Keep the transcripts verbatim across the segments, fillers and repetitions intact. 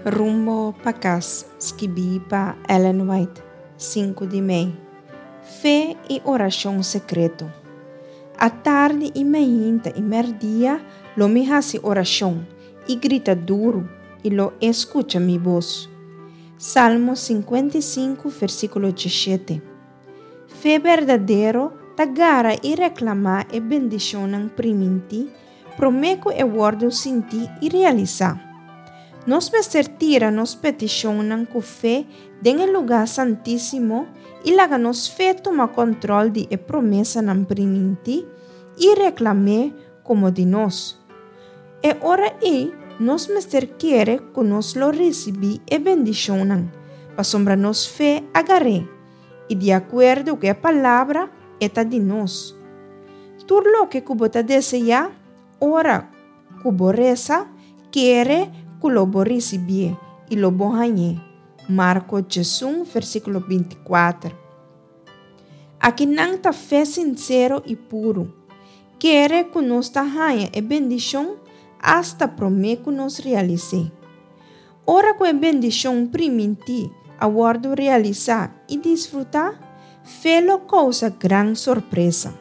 Rumbo pa Kas, skibí pa Ellen White, sinku di mei. Fe i Orashon Sekreto. Atardi i mainta i mèrdia lo mi hasi orashon i grita duru, i lo e skucha mi bos. Salmo sinkuenta i sinku, versíkulo diesshete. Fe berdadero ta gara i reklamá e bendishonnan primintí promé ku e wòrdu sintí i realisá. Nos mester tira nos petishonnan ku fe den e lugá santísimo i laga nos fe tuma kòntròl di e promesanan primintí i reklam'é komo di nos. E ora ei nos mester kere ku nos lo risibí e bendishonnan, pasobra nos fe a gar'é, i di akuerdo ku e palabra e ta di nos. Tur loke ku bo ta deseá, ora ku bo resa, kere ku lo bo risibié i lo bo hañ'é. Marko diesun, versíkulo binti kuater. Akinan ta fe sinsero i puru. Kere ku nos ta haña e bendishon asta promé ku nos realis'é. Ora ku e bendishon primintí a wòrdu realisá i disfrutá, fe lo kousa gran sorpresa.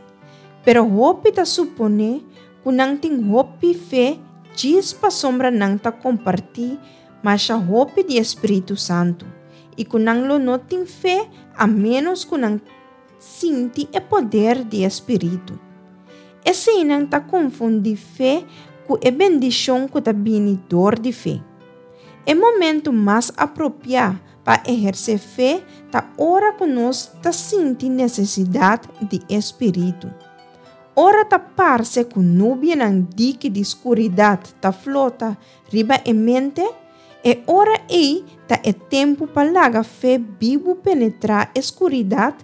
Pero hopi ta suponé ku nan tin hopi fe djis pasobra nan ta kompartí masha hopi di e Spiritu Santu i ku nan lo no tin fe a ménos ku nan sinti e poder di e Spiritu. Eseinan ta konfundí fe ku e bendishon ku ta bini dor di fe. E momentu mas apropiá pa ehersé fe ta ora ku nos ta sinti nesesidat di e Spiritu. Ora ta parse ku nubianan diki di skuridat ta flota riba e mente, e ora ei ta e tempu pa laga fe bibu penetrá e skuridat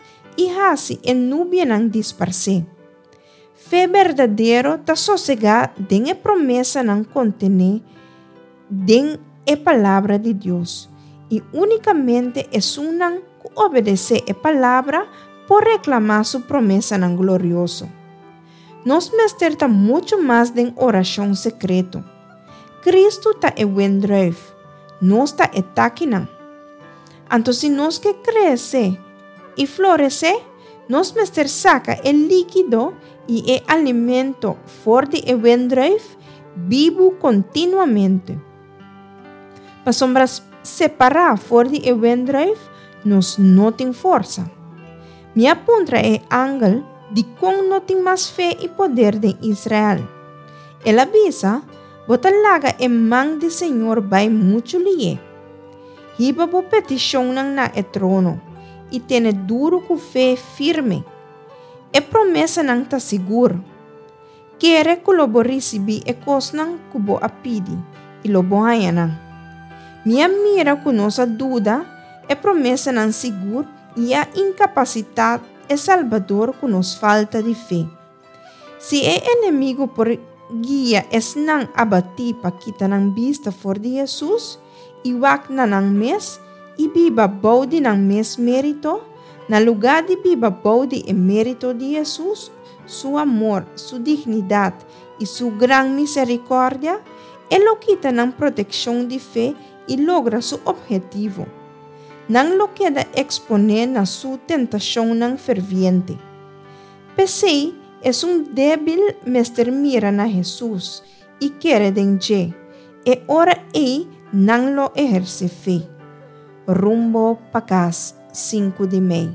i hasi e nubianan disparsé. Fe berdadero ta sosegá den e promesanan kontené den e Palabra di Dios, i únikamente esunnan ku obedesé e Palabra por reklamá su promesanan glorioso. Nos mester ta muchu mas den orashon sekreto. Kristu ta e wendrùif, nos ta e takinan. Anto si nos ke krese i floresé, nos mester saka e líkido i e alimento for di e wendrùif bibu kontinuamente. Pasobra separá for di e wendrùif, nos no tin forsa. Mi a puntra e angel dikon no tin mas fe i poder den Israel. El a bisa, Bo ta laga e man di Señor bai muchu lihé. Hiba bo petishonnan na e trono i tene duru ku fe firme. E promesanan ta sigur. Kere ku lo bo risibí e kosnan ku bo a pidi i lo bo haña nan. Mi a mira ku nos a duda e promesanan sigur i a inkapasitá e Salbador ku nos falta di fe. Si e enemigu por guia esnan abatí pa kita nan bista for di Hesus i wak na nan mes i biba bou di nan mes mérito, na lugá di biba bou di e mérito di Hesus, su amor, su dignidat i su gran miserikòrdia, e lo kita nan protekshon di fe i logra su ophetivo. Nan lo keda eksponé na su tentashonnan ferviente. P'esei, esun débil mester mira na Hesus i kere den dje, e ora ei nan lo ehersé fe. Rumbo pa kas, sinku di mei.